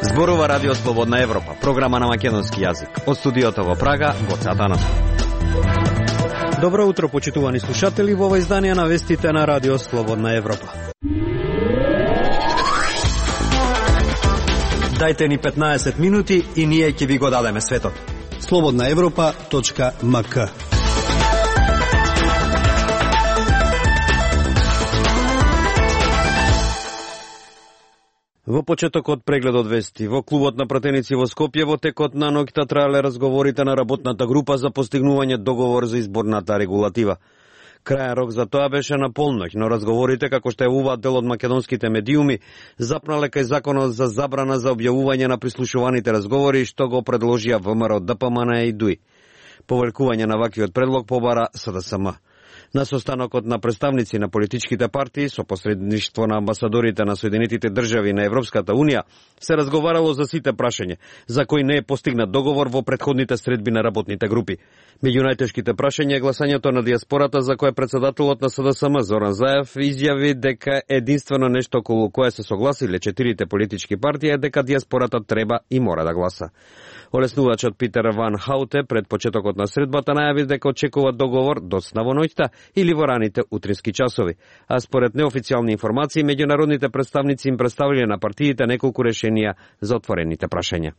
Зборува Радио Слободна Европа, програма на македонски јазик. Од студиото во Прага, Гоце Атанасов. Добро утро, почитувани слушатели, во ова издание на вестите на Радио Слободна Европа. Дајте ни 15 минути и ние ќе ви го дадеме светот. slobodnaevropa.mk. Во почетокот прегледот вести, во клубот на пратеници во Скопје во текот на ноќта траеле разговорите на работната група за постигнување договор за изборната регулатива. Крајен рок за тоа беше на полноќ, но разговорите, како што јавуваат дел од македонските медиуми, запнале кај законот за забрана за објавување на прислушуваните разговори, што го предложија ВМРО, ДПМН и ДУИ. Повелкување на ваквиот предлог побара СДСМ. На состанокот на представници на политичките партии со посредништво на амбасадорите на Соединетите држави на Европската Унија се разговарало за сите прашања, за кои не е постигнат договор во претходните средби на работните групи. Меѓу најтешките прашања е гласањето на диаспората, за кое председателот на СДСМ Зоран Заев изјави дека единствено нешто околу кое се согласиле четирите политички партии е дека диаспората треба и мора да гласа. Олеснувачот Питер Ван Хауте пред почетокот на средбата најави дека очекува договор доцна во ноќта или во раните утрински часови, а според неофицијални информации меѓународните представници им представиле на партиите неколку решенија за отворените прашања.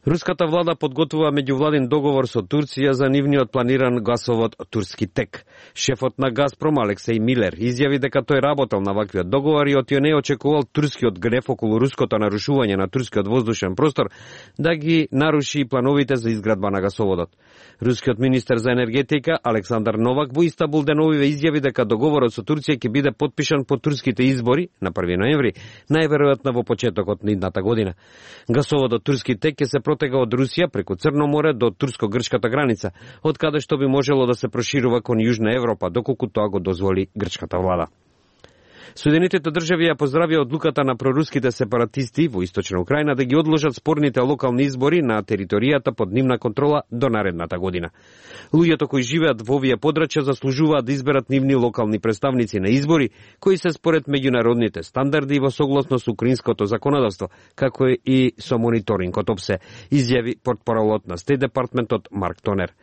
Руската влада подготвува меѓувладин договор со Турција за нивниот планиран гасовод Турски тек. Шефот на Газпром Алексеј Милер изјави дека тој работел на ваквиот договор и од не очекувал турскиот гнев околу руското нарушување на турскиот воздушен простор да ги наруши плановите за изградба на гасоводот. Рускиот министер за енергетика Александар Новак во Истанбул деновиве изјави дека договорот со Турција ќе биде потпишан по турските избори на 1 ноември, најверојатно во почетокот на идната година. Гасоводот Турски тек ќе се протега од Русија преку Црно море до турско-грчката граница, од каде што би можело да се проширува кон Јужна Европа, доколку тоа го дозволи грчката влада. Соединетите држави ја поздравија одлуката на проруските сепаратисти во источна Украина да ги одложат спорните локални избори на територијата под нивна контрола до наредната година. Луѓето кои живеат во овие подрачја заслужуваат да изберат нивни локални представници на избори, кои се според меѓународните стандарди и во согласно со украинското законодавство, како и со мониторингот ОПСЕ, изјави портпаролот на Стейт департментот Марк Тонер.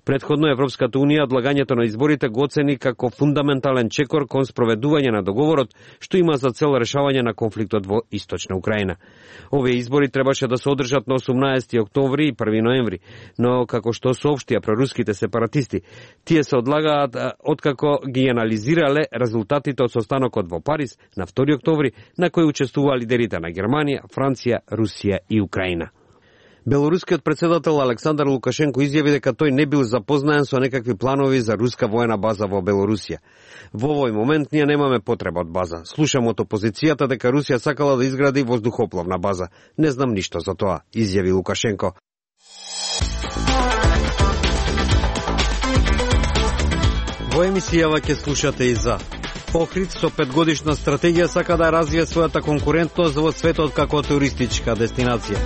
Предходно Европската Унија одлагањето на изборите го оцени како фундаментален чекор кон спроведување на договорот, што има за цел решавање на конфликтот во источна Украина. Овие избори требаше да се одржат на 18 октомври и 1 ноември, но како што соопштија проруските сепаратисти, тие се одлагаат откако ги анализирале резултатите од состанокот во Париз на 2 октомври, на кој учествуваа лидерите на Германија, Франција, Русија и Украина. Белорускиот председател Александар Лукашенко изјави дека тој не бил запознаен со некакви планови за руска воена база во Белорусија. Во овој момент ние немаме потреба од база. Слушам од опозицијата дека Русија сакала да изгради воздухопловна база. Не знам ништо за тоа, изјави Лукашенко. Во емисијава ќе слушате и за Охрид со 5-годишна стратегија сака да развие својата конкурентност во светот како туристичка дестинација.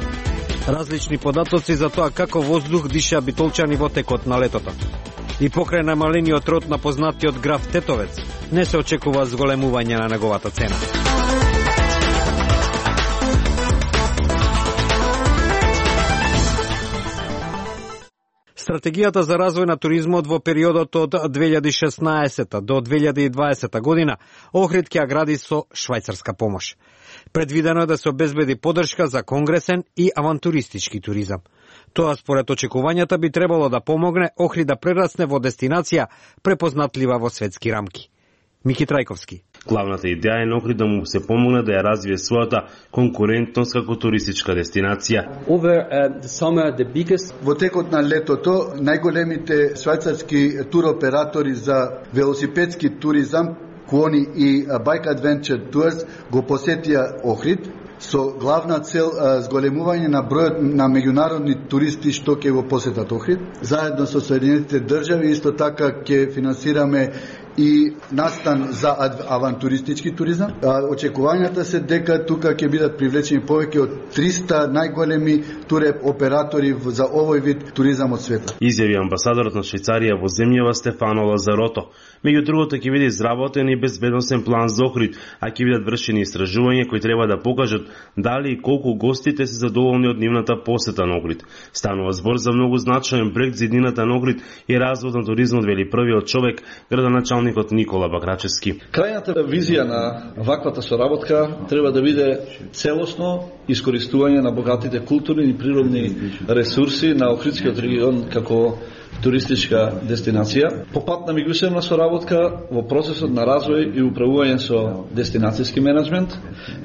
Различни податоци за тоа како воздух диша битолчани во текот на летото. И покрај намалениот род на познатиот граф Тетовец, не се очекува зголемување на неговата цена. Стратегијата за развој на туризмот во периодот од 2016 до 2020 година Охрид ќе ја гради со швајцарска помош. Предвидено е да се обезбеди поддршка за конгресен и авантуристички туризам. Тоа според очекувањата би требало да помогне Охрид да прерасне во дестинација препознатлива во светски рамки. Мики Трајковски. Главната идеја е на Охрид да му се помогне да ја развие својата конкурентност како туристичка дестинација. Во текот на летото најголемите швајцарски туроператори за велосипедски туризам, Кони и Bike Adventure Tours, го посетија Охрид со главна цел зголемување на бројот на меѓународни туристи што ќе го посетат Охрид. Заедно со Соединетите држави исто така ќе финансираме и настан за авантуристички туризам. Очекувањата се дека тука ќе бидат привлечени повеќе од 300 најголеми туроператори за овој вид туризам од света. Изјави амбасадорот на Швајцарија во земјава Стефано Лазарото. Меѓу другото ќе биде изработен и безбедносен план за Охрид, а ќе бидат вршени истражувања кои треба да покажат дали и колку гостите се задоволни од нивната посета на Охрид. Станува збор за многу значаен проект за иднината на Охрид и развој на туризмот, вели првиот човек, градоначалникот Никола Бакрачевски. Крајната визија на ваквата соработка треба да биде целосно искористување на богатите културни и природни ресурси на Охридскиот регион како туристичка дестинација. По пат на меѓусебна соработка во процесот на развој и управување со дестинацијски менеджмент,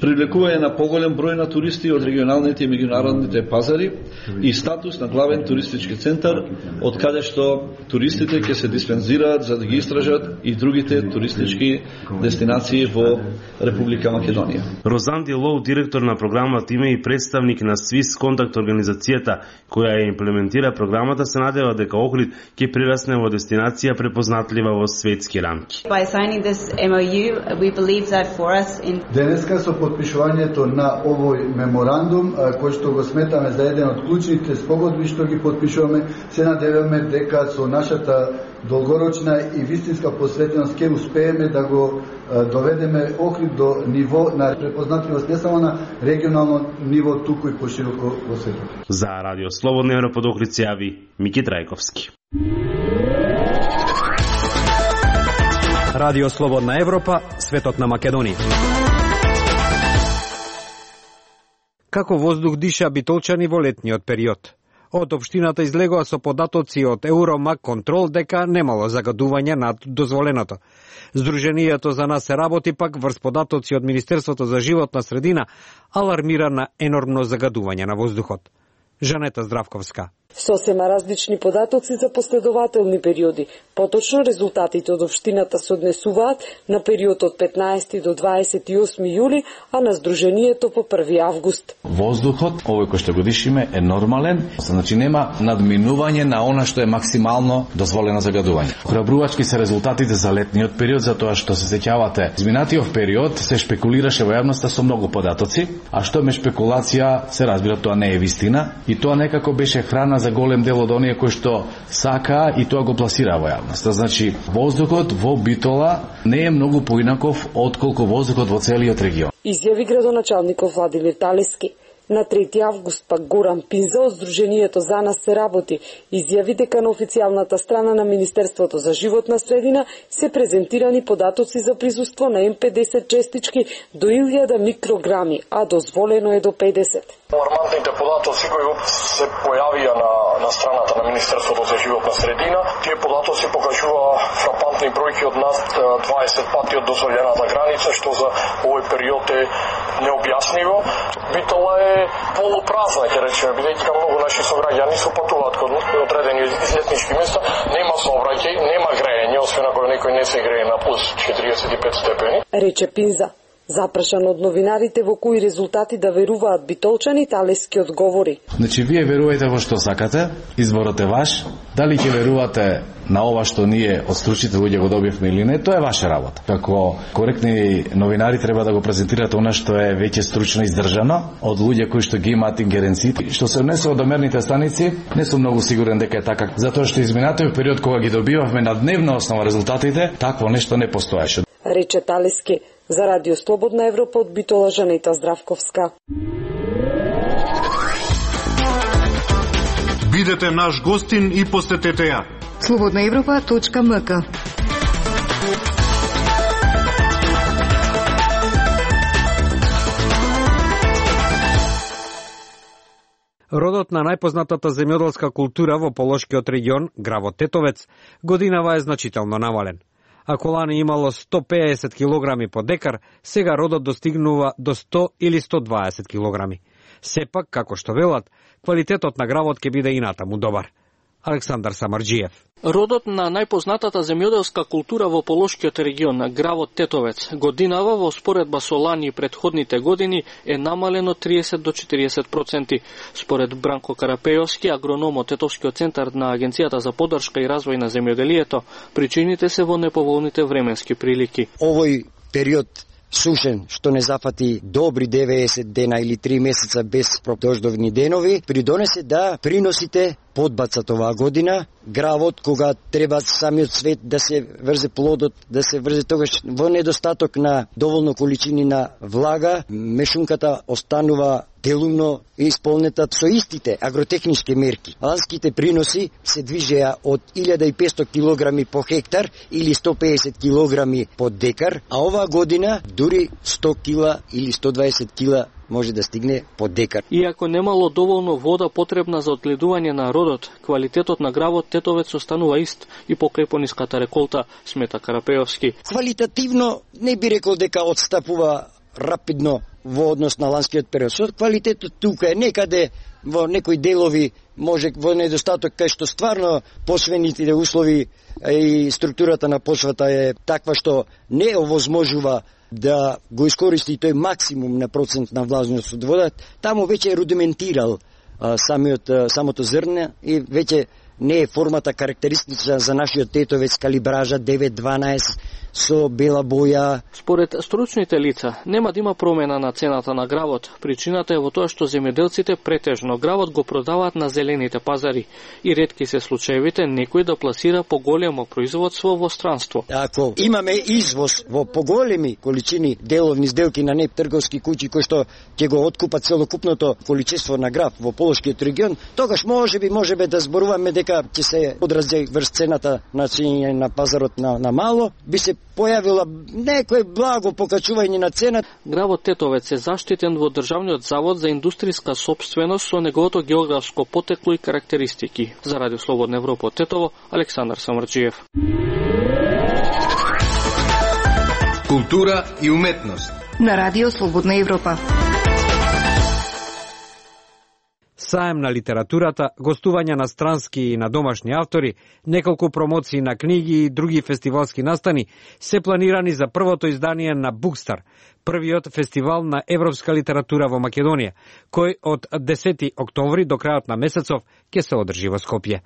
привлекување на поголем број на туристи од регионалните и меѓународните пазари и статус на главен туристички центар, од каде што туристите ќе се диспензираат за да ги истражат и другите туристички дестинации во Република Македонија. Розанди Лоу, директор на програмата, има и представник на Swiss Contact организацијата која ја имплементира програмата, се надева дека Охрид ќе прирасне во дестинација препознатлива во светски рамки. Денеска со потпишувањето на овој меморандум, кој што го сметаме за еден од клучните спогодби што ги потпишуваме, се надеваме дека со нашата долгорочна и вистинска посветеност ќе успееме да го доведеме Охрид до ниво на препознатливост не само на регионално ниво, туку и пошироко во светот. За Радио Слободна Европа од Охрид се јави Мики Трајковски. Радио Слободна Европа, светот на Македонија. Како воздух диша битолчани во летниот период? Од општината излегоа со податоци од Евромак Контрол дека немало загадување над дозволеното. Сдруженијето за нас се работи пак врз податоци од Министерството за животна средина алармира на енормно загадување на воздухот. Жанета Здравковска. Сосема различни податоци за последователни периоди. Поточно резултатите од општината се однесуваат на период од 15 до 28 јули, а на Сдруженијето по 1 август. Воздухот, овој кој што го дишиме, е нормален, значи нема надминување на она што е максимално дозволено загадување. Храбрувачки се резултатите за летниот период, затоа што се сеќавате, изминатиот период се шпекулираше во јавноста со многу податоци, а што ме шпекулација, се разбира, тоа не е вистина, и тоа некако беше храна за голем дел од оние кои што сакаа и тоа го пласира во јавноста. Значи, воздухот во Битола не е многу поинаков отколку воздухот во целиот регион. Изјави градоначалникот Владимир Талески. На 3 август пак Горан Пинза од Сдруженијето за нас се работи изјави дека на официјалната страна на Министерството за животна средина се презентирани податоци за присуство на М50 честички до 1000 микрограми, а дозволено е до 50. Алармантните податоци кои се појавија на страната на Министерството за животна средина, тие податоци покажува фрапантни бројки од над 20 пати од дозволената граница, што за овој период е необјасниво. Битола е полупразна, ќе речеме, бидејќи многу наши сограѓани се патуваат кон одредени излетнички места, нема сообраќај, нема грејење, освен ако некој не се грее на плюс 45 степени. Рече Пинза. Запрашан од новинарите во кои резултати да веруваат битолчани, Талески одговори. Значи, вие верувајте во што сакате, изборот е ваш. Дали ќе верувате на ова што ние од стручните луѓе го добивме или не, тоа е ваша работа. Како коректни новинари треба да го презентирате она што е веќе стручно издржано од луѓе кои што ги имаат ингеренции. Што се однесува до мерните станици, не сум многу сигурен дека е така, затоа што изминатиот период кога ги добивавме на дневна основа резултатите, такво нешто не постоеше. Рече Талески. За Радио Слободна Европа од Битола, Жанета Здравковска. Бидете наш гостин и посетете ја. slobodnaevropa.mk. Родот на најпознатата земјоделска култура во Полошкиот регион, гравот Тетовец, годинава е значително намален. Ако лани имало 150 килограми по декар, сега родот достигнува до 100 или 120 килограми. Сепак, како што велат, квалитетот на гравот ќе биде и натаму добар. Александар Самарџиев. Родот на најпознатата земјоделска култура во Полошкиот регион, гравот тетовец, годинава во споредба со лани и претходните години е намалено 30 до 40%. Според Бранко Карапејовски, агроном од Тетовскиот центар на Агенцијата за поддршка и развој на земјоделието, причините се во неповолните временски прилики. Овој период сушен, што не зафати добри 90 дена или 3 месеца без дождовни денови, придонесе да приносите подбацат оваа година. Гравот, кога треба самиот свет да се врзе плодот, да се врзе тогаш во недостаток на доволно количини на влага, мешунката останува делумно исполнета со истите агротехнички мерки. Ланските приноси се движеа од 1500 килограми по хектар или 150 килограми по декар, а оваа година дури 100 кила или 120 кила може да стигне по декар. Иако немало доволно вода потребна за одгледување на родот, квалитетот на гравот тетовец останува ист и покрај пониската реколта, смета Карапејовски. Квалитативно не би рекол дека отстапува рапидно во однос на ланскиот период. Со квалитетот тука е некаде во некои делови, може во недостаток кај што стварно посвените услови и структурата на почвата е таква што не овозможува да го искористи тој максимум на процент на влажност од водата, таму веќе е рудиментирал самото зрне и веќе не е формата карактеристична за нашиот тетовец, калибража 9-12 со бела боја. Според стручните лица, нема да има промена на цената на гравот. Причината е во тоа што земјоделците претежно гравот го продаваат на зелените пазари и ретки се случаевите некој да пласира поголемо производство во странство. Ако имаме извоз во поголеми количини деловни сделки на трговски куќи кои што ќе го откупат целокупното количество на грав во Полошкиот регион, тогаш можеби да зборуваме дека ќе се одрази врз цената на пазарот на мало, би се појавила некој благо покачување на цена. Гравот тетовец е заштитен во Државниот завод за индустријска сопственост со неговото географско потекло и карактеристики. За Радио Слободна Европа од Тетово, Александар Самарџиев. Култура и уметност на Радио Слободна Европа. Саем на литературата, гостување на странски и на домашни автори, неколку промоции на книги и други фестивалски настани се планирани за првото издание на Букстар, првиот фестивал на европска литература во Македонија, кој од 10 октомври до крајот на месецов ќе се одржи во Скопје.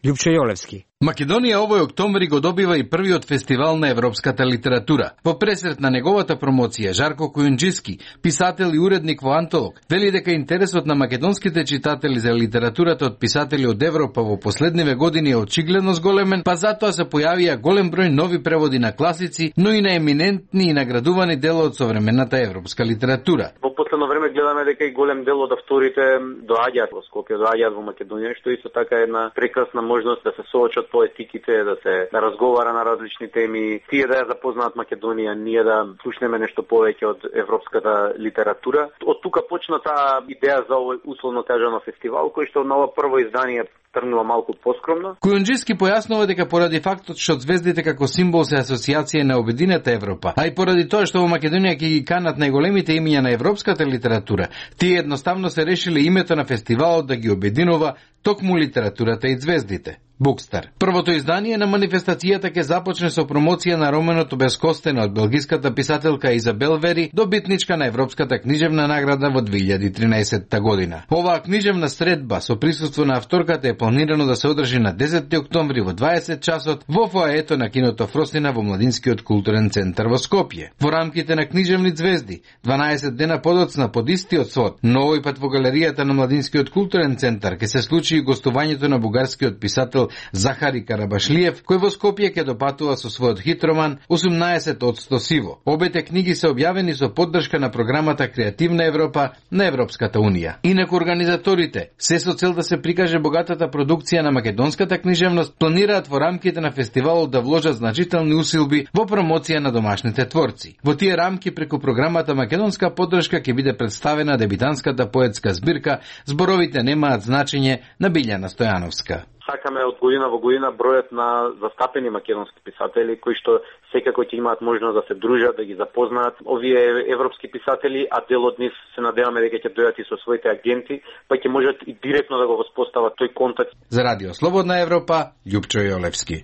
Љупче Јолевски. Македонија овој октомври го добива и првиот фестивал на европската литература. Во пресрет на неговата промоција, Жарко Кујунџиски, писател и уредник во Антолог, вели дека интересот на македонските читатели за литературата од писатели од Европа во последниве години е очигледно зголемен, па затоа се појавија голем број нови преводи на класици, но и на еминентни и наградувани дела од современата европска литература. Во последно време гледаме дека и голем дел од авторите доаѓаат во Скопје, доаѓаат во Македонија, што исто така е една прекрасна можност да се соочат поетиките, да разговара на различни теми, тие да ја запознаат Македонија, ние да слушнеме нешто повеќе од европската литература. Од тука почна таа идеја за овој условно кажано фестивал, кој што на ова прво издание тргнува малку поскромно. Кујунџиски појаснува дека поради фактот што звездите како символ се асоциација на обединета Европа, а и поради тоа што во Македонија ќе ги канат најголемите имиња на европската литература, тие едноставно се решиле името на фестивалот да ги обединува токму литературата и звездите. Букстар. Првото издание на манифестацијата ќе започне со промоција на романот Обескостена од белгиската писателка Изабел Вери, добитничка на Европската книжевна награда во 2013 година. Оваа книжевна средба со присуство на авторката е планирано да се одржи на 10 октомври во 20 часот во фоаето на киното Фросина во Младинскиот културен центар во Скопје. Во рамките на книжевни звезди, 12 дена подоцна под истиот свод, но овој пат во галеријата на Младинскиот културен центар ќе се случи и гостувањето на бугарскиот писател Захари Карабашлиев, кој во Скопје ќе допатува со својот хит роман 18% сиво. Обете книги се објавени со поддршка на програмата Креативна Европа на Европската Унија. Инаку организаторите, се со цел да се прикаже богатата продукција на македонската книжевност, планираат во рамките на фестивалот да вложат значителни усилби во промоција на домашните творци. Во тие рамки преку програмата Македонска поддршка ќе биде представена дебитанската поетска збирка Зборовите немаат значење на Билјана Стојановска. сакаме од година во година бројот на застапени македонски писатели кои што секако ќе имаат можност да се дружат, да ги запознаат овие европски писатели, а дел од нив се надеваме дека ќе дојдат и со своите агенти, па ќе можат и директно да го воспостават тој контакт. За Радио Слободна Европа, Љупчо Јолевски.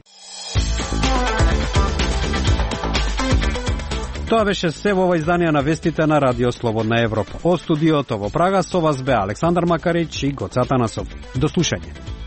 Тоа беше се во ова издание на вестите на Радио Слободна Европа. Од студиото во Прага со вас бе Александар Макарич и Гоце Атанасов. До слушање.